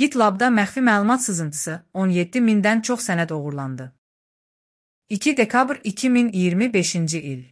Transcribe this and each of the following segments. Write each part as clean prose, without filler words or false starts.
GitLab'da məxfi məlumat sızıntısı 17 mindən çox sənəd oğurlandı. 2 dekabr 2025-ci il.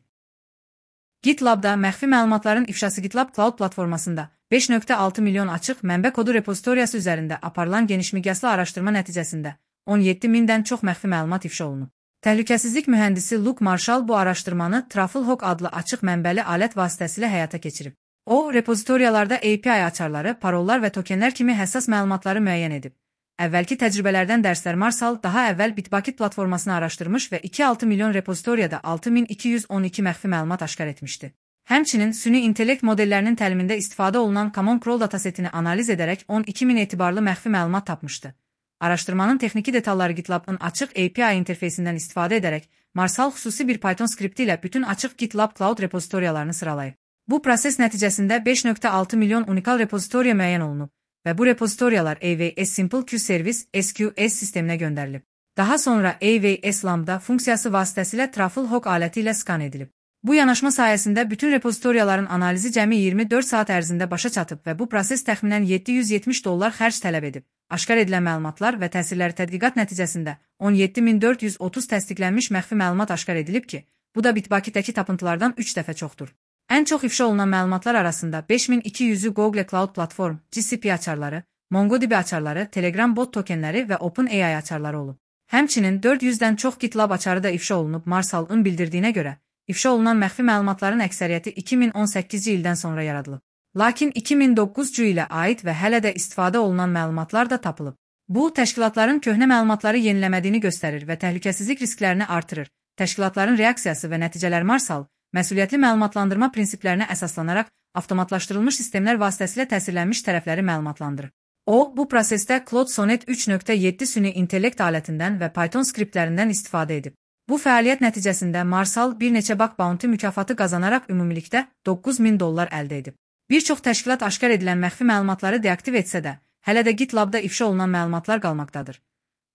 GitLab'da məxfi məlumatların ifşası GitLab Cloud platformasında 5.6 milyon açıq mənbə kodu repozitoriyası üzərində aparılan genişmiqyaslı araşdırma nəticəsində 17 mindən çox məxfi məlumat ifşa olunub. Təhlükəsizlik mühəndisi Luke Marshall bu araşdırmanı Trufflehawk adlı açıq mənbəli alət vasitəsilə həyata keçirib. O, repozitoriyalarda API açarları, parollar və tokenlər kimi həssas məlumatları müəyyən edib. Əvvəlki təcrübələrdən dərslər Marshall daha əvvəl Bitbucket platformasını araşdırmış və 2,6 milyon repozitoriyada 6212 məxfi məlumat aşkar etmişdi. Həmçinin süni intellekt modellərinin təlimində istifadə olunan Common Crawl datasetini analiz edərək 12.000 etibarlı məxfi məlumat tapmışdı. Araşdırmanın texniki detalları GitLab'ın açıq API interfeysindən istifadə edərək Marshall xüsusi bir Python skripti ilə bütün açıq GitLab Cloud repozitoriyalarını sıralayıb. Bu proses nəticəsində 5.6 milyon unikal repozitoriya müəyyən olunub və bu repozitoriyalar AWS Simple Queue Service SQS sisteminə göndərilib. Daha sonra AWS Lambda funksiyası vasitəsilə Trufflehawk aləti ilə skan edilib. Bu yanaşma sayəsində bütün repozitoriyaların analizi cəmi 24 saat ərzində başa çatıb və bu proses təxminən $770 xərc tələb edib. Aşkar edilən məlumatlar və təsirləri tədqiqat nəticəsində 17430 təsdiqlənmiş məxfi məlumat aşkar edilib ki, bu da Bitbucket'dəki tapıntılardan 3 dəfə çoxdur. Ən çox ifşa olunan məlumatlar arasında 5200-ü Google Cloud Platform, GCP açarları, MongoDB açarları, Telegram bot tokenləri və OpenAI açarları olub. Həmçinin 400-dən çox GitLab açarı da ifşa olunub. Marshall'ın bildirdiyinə görə, ifşa olunan məxfi məlumatların əksəriyyəti 2018-ci ildən sonra yaradılıb. Lakin 2009-cu ilə aid və hələ də istifadə olunan məlumatlar da tapılıb. Bu, təşkilatların köhnə məlumatları yeniləmədiyini göstərir və təhlükəsizlik risklərini artırır. Təşkilatların reaksiyası və nəticələr Marshall, məsuliyyətli məlumatlandırma prinsiplərinə əsaslanaraq avtomatlaşdırılmış sistemlər vasitəsilə təsirlənmiş tərəfləri məlumatlandırır. O, bu prosesdə Claude Sonnet 3.7 süni intellekt alətindən və Python skriptlərindən istifadə edib. Bu fəaliyyət nəticəsində Marshall bir neçə bug bounty mükafatı qazanaraq ümumilikdə $9000 əldə edib. Bir çox təşkilat aşkar edilən məxfi məlumatları deaktiv etsə də, hələ də GitLab'da ifşa olunan məlumatlar qalmaqdadır.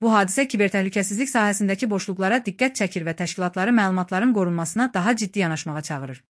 Bu hadisə kibertəhlükəsizlik sahəsindəki boşluqlara diqqət çəkir və təşkilatları məlumatların qorunmasına daha ciddi yanaşmağa çağırır.